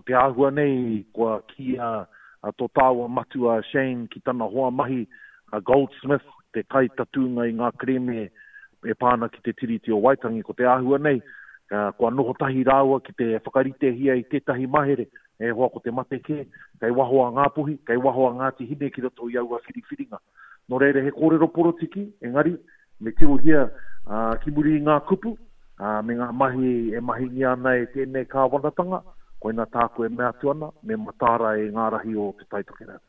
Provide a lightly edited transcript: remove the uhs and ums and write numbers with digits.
te āhua nei kua kīia tō tāua matua a Shane ki tana hoa mahi a Goldsmith, te kaitatūnga i ngā kerēme e pā ana ki te Tiriti o Waitangi, ko te āhua nei, kua noho tahi rāua ki te whakaritehia i tētahi mahere, e hoa ko te mate kē, kei waho a Ngāpuhi, kei waho a Ngāti Hine ki roto i aua whiriwhiringa. Nō reira, he kōrero porotiki, engari, me tirohia ki muri i ngā kupu, me ngā mahi e mahingia ana e tēnei kāwanatanga, koina tāku e mea atu ana, me mataara e ngā rahi o Te Tai Tokerau.